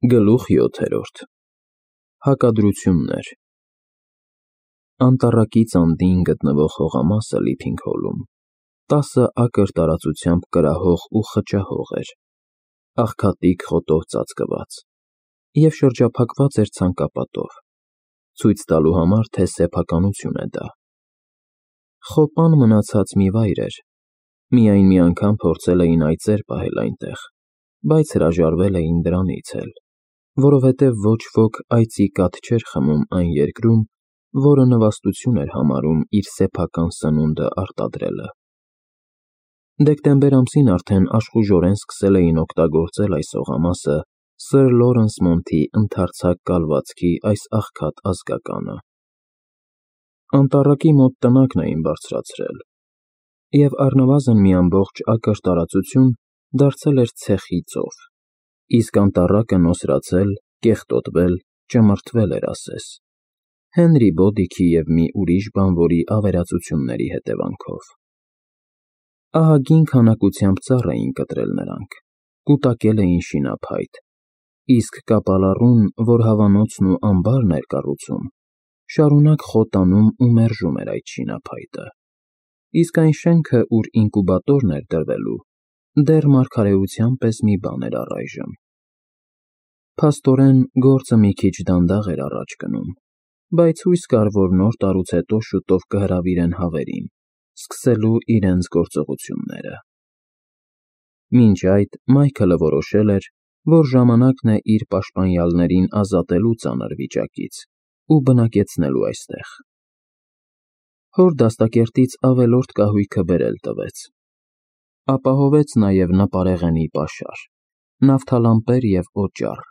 Գլուխ 7. Հակադրություններ։ Անտառակից անդին գտնվող հողամասը Լիփինգհոլում 10 ակր տարածությամբ կրահող ու խճահող էր, աղքատիկ խոտով ծածկված, և շրջափակված էր ցանկապատով, ցույց տալու համար, թե սեփականություն է դա։ Խոպան մնացած մի վայր էր, միայն մի անգամ փորձել էին այծեր պահել այնտեղ, բայց հրաժարվել էին դրանից էլ, որովհետև ոչ ոք այծի կաթ չէր խմում այն երկրում, որը նվաստություն էր համարում իր սեփական սնունդը արտադրելը։ Դեկտեմբեր ամսին արդեն աշխուժորեն սկսել էին օգտագործել այս հողամասը Սր Լորենս Մոնթի ընդարձակ կալվածքի այս աղքատ ազգականը։ Անտառակի մոտ տնակն էին բարձրացրել, և առնվազն մի ամբողջ ակր տարածություն դարձել էր ցեխի ծով, իսկ անտառակը նոսրացել, կեղտոտվել, ճմրթվել էր ասես, Հենրի Բոդիքի և մի ուրիշ բանվորի ավերածությունների հետևանքով։ Ահագին քանակությամբ ծառ էին կտրել նրանք, կուտակել էին շինափայտ, իսկ կապալառուն, որ հավանոցն ու ամբարն էր կառուցում, շարունակ խոտ անում ու մերժում էր այդ շինափայտը, իսկ այն շենքը, ուր ինկուբատորն էր դրվելու, դեռ մարգարեության պես մի բան էր առայժմ։ Փաստորեն, գործը մի քիչ դանդաղ էր առաջ գնում, բայց հույս կար, որ նոր տարուց հետո շուտով կհրավիրեն հավերին, սկսելու իրենց գործողությունները։ Մինչ այդ Մայքլը որոշել էր, որ ժամանակն է իր պաշտպանյալներին ազատելու ծանր վիճակից ու բնակեցնելու այստեղ։ Հոր դաստակերտից ավելորդ կահույքը բերել տվեց։ Ապահովեց նաև նապարեղենի պաշար, նավթալամպեր և օճառ,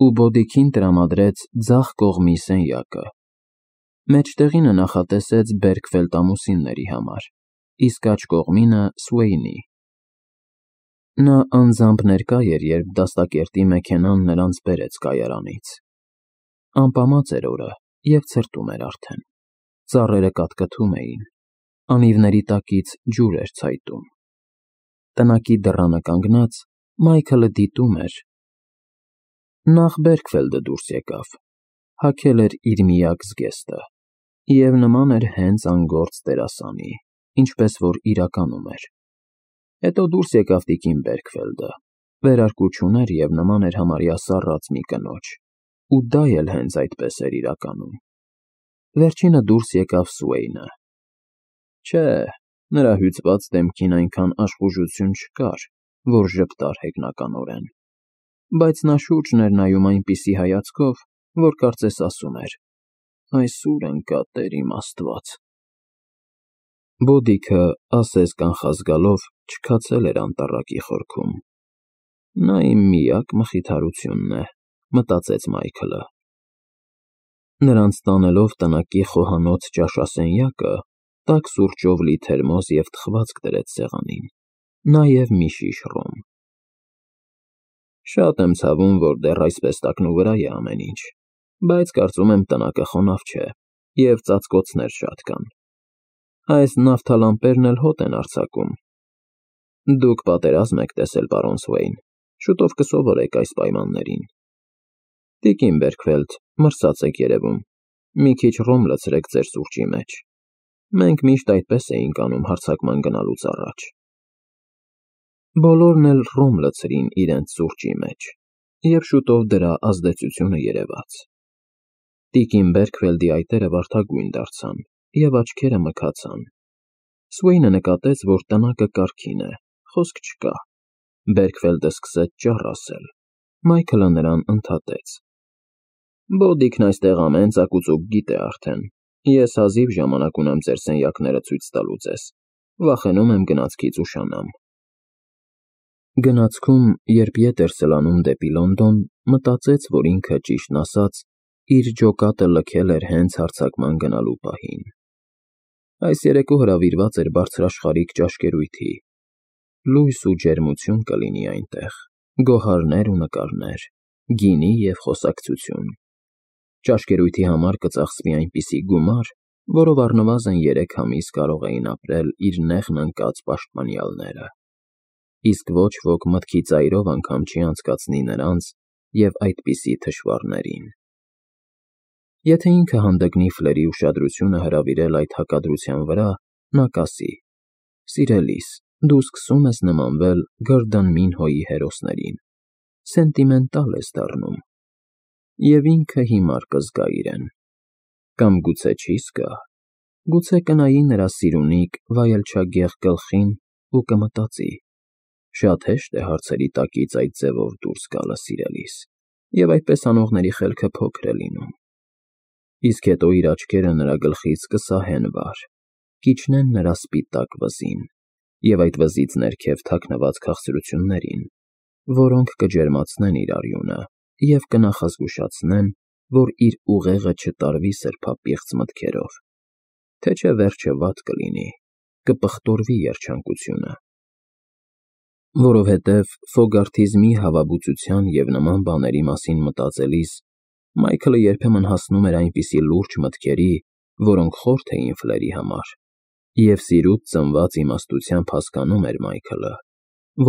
ու Բոդիքին տրամադրեց ձախ կողմի սենյակը։ Մեջտեղինը նախատեսեց Բերքվելտ ամուսինների համար, իսկ աջ կողմինը՝ Սուեյնի։ Նա անձամբ ներկա էր, երբ դաստակերտի մեքենան նրանց բերեց կայարանից։ Ամպամած էր օրը և ցրտում էր արդեն, ծառերը կատկթում էին, անիվների տակից ջուր էր ցայտում։ Տնակի դռանը կանգնած՝ Մայքլը դիտում էր։ Նախ Բերքվելդը դուրս եկավ, հագել էր իր միակ զգեստը և նման էր հենց անգործ դերասանի, ինչպես որ իրականում էր։ Հետո դուրս եկավ տիկին Բերքվելդը, վերարկու չուներ և նման էր համարյա սառած մի կնոջ, ու դա էլ հենց այդպես էր իրականում։ Վերջինը դուրս եկավ Սուեյնը։ Չէ, նրա հյուծված դեմքին այնքան աշխուժություն չկար, որ ժպտար հեգնականորեն, բայց նա շուրջն էր նայում այնպիսի հայացքով, որ կարծես ասում էր. «Այս ո՞ւր ընկա, Տեր իմ Աստված»։ Բոդիքը, ասես կանխազգալով, չքացել էր անտառակի խորքում։ Նա իմ միակ մխիթարությունն է, մտածեց Մայքլը։ Նրանց տանելով տնակի խոհանոց ճաշասենյակը, տաք սուրճով լի թերմոս և թխվածք դրեց սեղանին, նաև մի շիշ ռոմ։ Շատ եմ ցավում, որ դեռ այսպես տակնուվրա է ամեն ինչ, բայց կարծում եմ տնակը խոնավ չէ, և ծածկոցներ շատ կան։ Այս նավթալամպերն էլ հոտ են արձակում։ Դուք պատերազմ եք տեսել, պարոն Սուեյն, շուտով կսովորեք այս պայմաններին։ Տիկին Բերքվելդ, մրսած եք երևում, մի քիչ ռոմ լցրեք ձեր սուրճի մեջ։ Մենք միշտ այդպես էինք անում հարձակման գնալուց առաջ։ Բոլորն էլ ռոմ լցրին իրենց սուրճի մեջ, և շուտով դրա ազդեցությունը երևաց։ Տիկին Բերքվելդի այտերը վարդագույն դարձան և աչքերը մքացան։ Սուեյնը նկատեց, որ տնակը կարգին է, խոսք չկա։ Բերքվելդը սկսեց ճառ ասել։ Մայքլը նրան ընդհատեց. Բոդիքն այստեղ ամեն ծակուծուկ գիտե արդեն։ Ես հազիվ ժամանակ ունեմ ձեր սենյակները ցույց տալու ձեզ։ Վախենում եմ գնացքից ուշանամ։ Գնացքում, երբ ետ էր սլանում դեպի Լոնդոն, մտածեց, որ ինքը, ճիշտն ասած, իր ջոկատը լքել էր հենց հարձակման գնալու պահին։ Այս երեկո հրավիրված էր բարձրաշխարհիկ ճաշկերույթի։ Լույս ու ջերմություն կլինի այնտեղ, գոհարներ ու նկարներ, գինի և խոսակցություն։ Ճաշկերույթի համար կծախսվի այնպիսի գումար, որով առնվազն 3 ամիս կարող էին ապրել իր նեղն ընկած պաշտպանյալները։ Իսկ ոչ ոք մտքի ծայրով անգամ չի անցկացնի նրանց, և այդպիսի թշվառներին։ Եթե ինքը հանդգնի Ֆլերի ուշադրությունը հրավիրել այդ հակադրության վրա, նա կասի. «Սիրելիս, դու սկսում ես նմանվել Գորդոն Մինհոյի հերոսներին, սենտիմենտալ ես դառնում»։ Եվ ինքը հիմար կզգա իրեն։ Կամ գուցե չի զգա, գուցե կնայի նրա սիրունիկ, վայելչագեղ գլխին ու կմտածի. «Շատ հեշտ է հարցերի տակից այդ ձևով դուրս գալը, սիրելիս», և այդպես անողների խելքը փոքր է լինում։ Իսկ հետո իր աչքերը նրա գլխից կսահեն վար, կիջնեն նրա սպիտակ վզին և այդ վզից ներքև թաքնված քաղցրություններին, որոնք կջերմացնեն իր արյունը և կնախազգուշացնեն, որ իր ուղեղը չտարվի սրբապիղծ մտքերով, թե չէ վերջը վատ կլինի, կպղտորվի երջանկությունը։ Որովհետև Ֆոգարթիզմի հավաբուծության և նման բաների մասին մտածելիս Մայքլը երբեմն հասնում էր այնպիսի լուրջ մտքերի, որոնք խորթ էին Ֆլերի համար, և սիրուց ծնված իմաստությամբ հասկանում էր Մայքլը,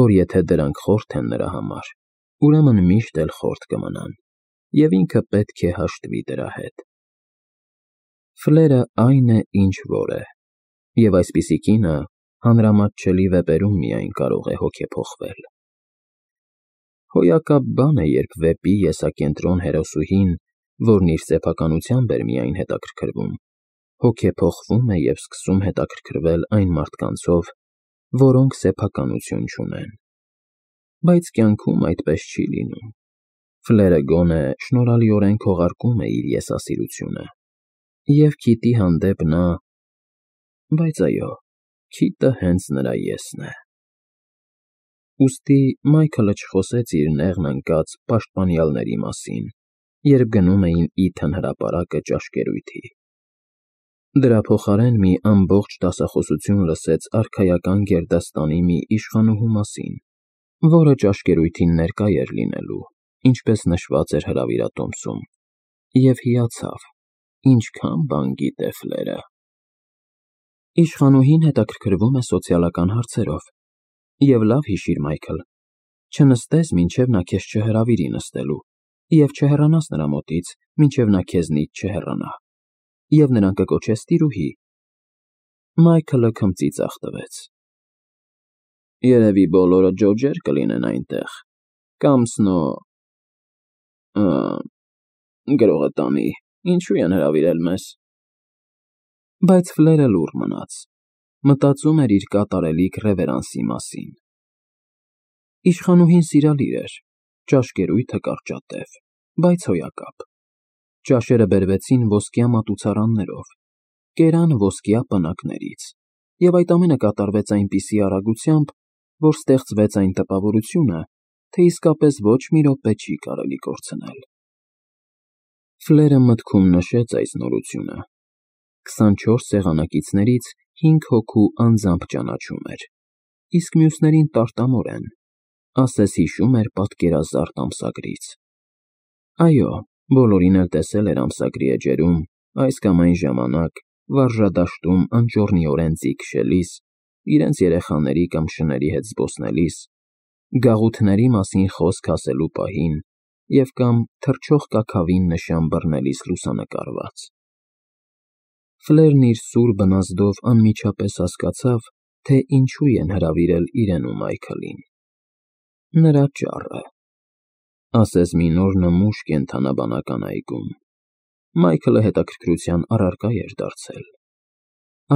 որ եթե դրանք խորթ են նրա համար, ուրեմն միշտ էլ խորթ կմնան, և ինքը պետք է հաշտվի դրա հետ։ Ֆլերը այն է, ինչ որ է, և այսպիսի կինը հանրամատչելի վեպերում միայն կարող է հոգեփոխվել։ Հոյակապ բան է, երբ վեպի եսակենտրոն հերոսուհին, որն իր սեփականությամբ էր միայն հետաքրքրվում, հոգեփոխվում է և սկսում հետաքրքրվել այն մարդկանցով, որոնք սեփականություն չունեն։ Բայց կյանքում այդպես չի լինում։ Ֆլերը գոնե շնորհալիորեն քողարկում է իր եսասիրությունը, և Քիթի հանդեպ նա… Բայց այո, Քիթը հենց նրա եսն է։ Ուստի Մայքլը չխոսեց իր նեղն ընկած պաշտպանյալների մասին, երբ գնում էին Իթն հրապարակը ճաշկերույթի։ Դրա փոխարեն մի ամբողջ դասախոսություն լսեց արքայական գերդաստանի մի իշխանուհու մասին, որը ճաշկերույթին ներկա էր լինելու, ինչպես նշված էր հրավիրատոմսում, և հիացավ, ինչքան բան գիտե Ֆլերը։ Իշխանուհին հետաքրքրվում է սոցիալական հարցերով։ Եվ լավ հիշիր, Մայքլ, չնստես, մինչև նա քեզ չհրավիրի նստելու, և չհեռանաս նրա մոտից, մինչև նա քեզնից չհեռանա, և նրան կկոչես տիրուհի։ Մայքլը քմծիծաղ տվեց։ Երևի բոլորը ջոջեր կլինեն այնտեղ, կամ գրողը տանի, ինչու են հրավիրել մեզ։ Բայց Ֆլերը լուռ մնաց, մտածում էր իր կատարելիք ռևերանսի մասին։ Իշխանուհին սիրալիր էր, ճաշկերույթը կարճատև, բայց հոյակապ։ Ճաշերը բերվեցին ոսկյա մատուցարաններով, կերան ոսկյա պնակներից, և այդ ամենը կատարվեց այնպիսի արագությամբ, որ ստեղծվեց այն տպավորությունը, թե իսկապես ոչ մի րոպե չի կարելի կորցնել։ Ֆլերը մտքում նշեց այս նորությունը. 24 սեղանակիցներից 5 հոգու անձամբ ճանաչում էր, իսկ մյուսներին տարտամորեն, ասես հիշում էր պատկերազարդ ամսագրից։ Այո, բոլորին էլ տեսել էր ամսագրի էջերում, այս կամ այն ժամանակ, վարժադաշտում անճոռնիորեն ձի քշելիս, իրենց երեխաների կամ շների հետ զբոսնելիս, գաղութների մասին խոսք ասելու պահին և կամ թռչող կաքավին նշան բռնելիս լուսանկարված։ Ֆլերն իր սուր բնազդով անմիջապես հասկացավ, թե ինչու են հրավիրել իրեն ու Մայքլին։ Նրա ճառը։ Ասես մի նոր նմուշ կենդանաբանական այգում։ Մայքլը հետաքրքրության առարկա էր դարձել։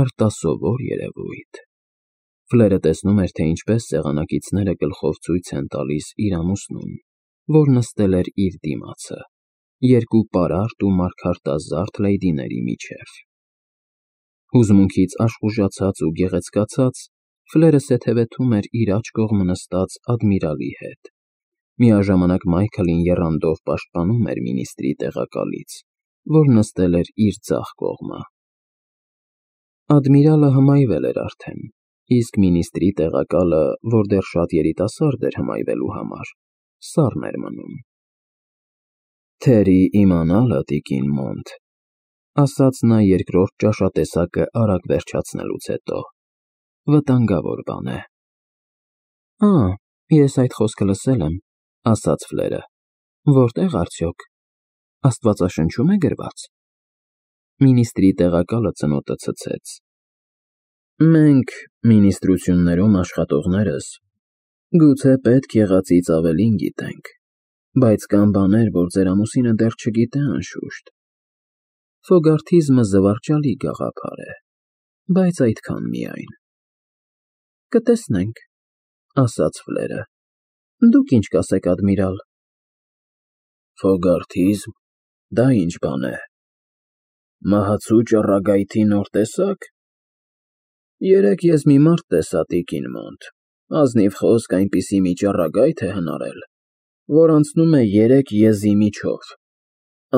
Արտասովոր երևույթ։ Ֆլերը տեսնում էր, թե ինչպես սեղանակիցները գլխով ցույց են տալիս իր ամուսնուն, որ նստել էր իր դիմացը, երկու պարարտ ու մարգարտազարդ լեյդիների միջև։ Հուզմունքից աշխուժացած ու գեղեցկացած, Ֆլերը սեթևեթում էր իր աջ կողմը նստած ադմիրալի հետ։ Միաժամանակ Մայքլին եռանդով պաշտպանում էր մինիստրի տեղակալից, որ նստել էր իր ձախ կողմը։ Ադմիրալը հմայվել էր արդեն, իսկ մինիստրի տեղակալը, որ դեռ շատ երիտասարդ էր հմայվելու համար, սառն էր մնում։ Թերի իմանալը, տիկին Մոնտ, ասաց նա երկրորդ ճաշատեսակը արագ վերջացնելուց հետո, վտանգավոր բան է։ Ես այդ խոսքը լսել եմ, ասաց Ֆլերը, Որտե՞ղ արդյոք։ Աստվածաշնչում է գրված։ Մինիստրի տեղակալը ծնոտը ցցեց։ Մենք, մինիստրություններում աշխատողներս, գուցե պետք եղածից ավելին գիտենք, բայց կան բաներ, որ ձեր ամուսինը դեռ չգիտե անշուշտ։ Ֆոգարթիզմը զվարճալի գաղափար է, բայց այդքան միայն։ Կտեսնենք, ասաց Ֆլերը։ Դուք ինչ կասեք, ադմիրալ։ Ֆոգարթիզմ, դա ինչ բան է։ Մահացու ճառագայթի նոր տեսակ։ Երեկ ես մի մարդ տեսա տիկին մոտ, ազնիվ խոսք այնպիսի մի ճառագայթ է հնարել, որ անցնում է 3 եզի միջով,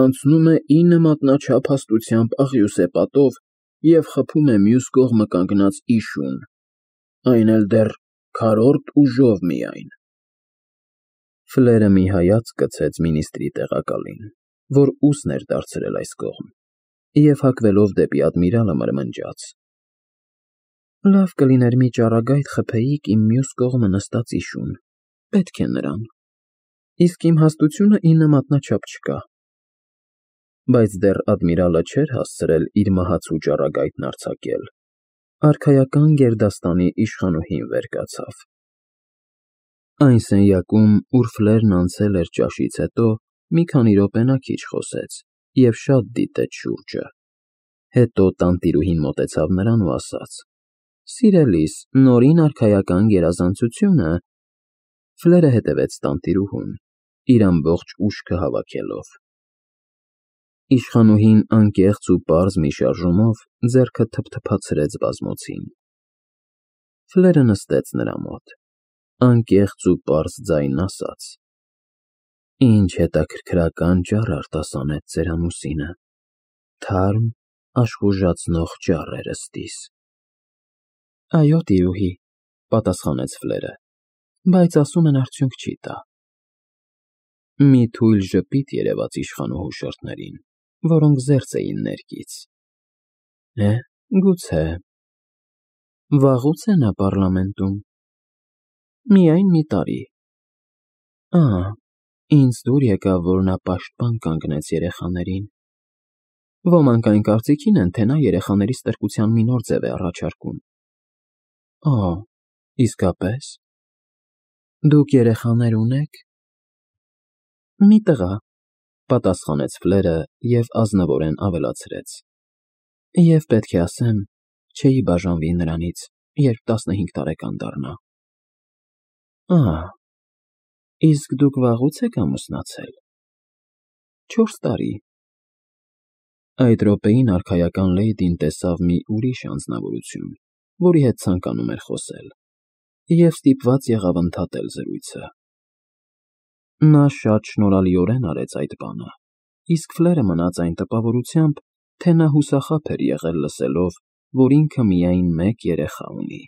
անցնում է 9 մատնաչափ հաստությամբ աղյուսե պատով և խփում է մյուս կողմը կանգնած իշուն, այն էլ դեռ քառորդ ուժով միայն։ Ֆլերը մի հայացք գցեց մինիստրի տեղակալին, որ ուսն էր դարձրել այս կողմ, և հագվելով դեպի ադմիրալը մրմնջաց. Լավ կլիներ մի ճառագայթ խփեիք իմ մյուս կողմը նստած իշուն, պետք է նրան, իսկ իմ հաստությունը 9 մատնաչափ չկա։ Բայց դեռ ադմիրալը չէր հասցրել իր մահացու ճառագայթն արձակել, արքայական գերդաստանի իշխանուհին վեր կացավ։ Այն սենյակում, ուր Ֆլերն անցել էր ճաշից հետո, մի քանի րոպե քիչ խոսեց և շատ դիտեց շուրջը։ Հետո տանտիրուհին մոտեցավ նրան ու ասաց. Սիրելիս, նորին արքայական գերազանցությունը։ Ֆլերը հետևեց տանտիրուհուն, իր ամբողջ ուշքը հավաքելով։ Իշխանուհին անկեղծ ու պարզ մի շարժումով ձեռքը թփթփացրեց բազմոցին։ Ֆլերը նստեց նրա մոտ, անկեղծ ու պարզ ձայն ասաց. Ինչ հետաքրքրական ճառ արտասանեց ձեր ամուսինը, թարմ, աշխուժացնող ճառ էր ըստիս։ Այո, տիրուհի, պատասխանեց Ֆլերը, բայց ասում են արդյունք չի տա։ Մի թույլ ժպիտ երևաց իշխանուհու շրթներին, որոնք զերծ էին ներկից։ Գուցե։ Վաղուց է նա պառլամենտում։ Միայն մի տարի։ Ինձ դուր եկավ, որ նա պաշտպան կանգնեց երեխաներին։ Ոմանք այն կարծիքին են, թե նա երեխաների ստրկության մի նոր ձև է առաջարկում։ Իսկապես։ Դուք երեխաներ ունեք։ Մի տղա, պատասխանեց Ֆլերը և ազնվորեն ավելացրեց. Եվ պետք է ասեմ, չէի բաժանվի նրանից, երբ 15 տարեկան դառնա։ Իսկ դուք վաղուց եք ամուսնացել։ 4 տարի։ Այդ րոպեին արքայական լեյդին տեսավ մի ուրիշ անձնավորություն, որի հետ ցանկանում էր խոսել, և ստիպված եղավ ընդհատել զրույցը։ Նա շատ շնորհալիորեն արեց այդ բանը, իսկ Ֆլերը մնաց այն տպավորությամբ, թե նա հուսախաբ էր եղել լսելով, որ ինքը միայն մեկ երեխա ունի։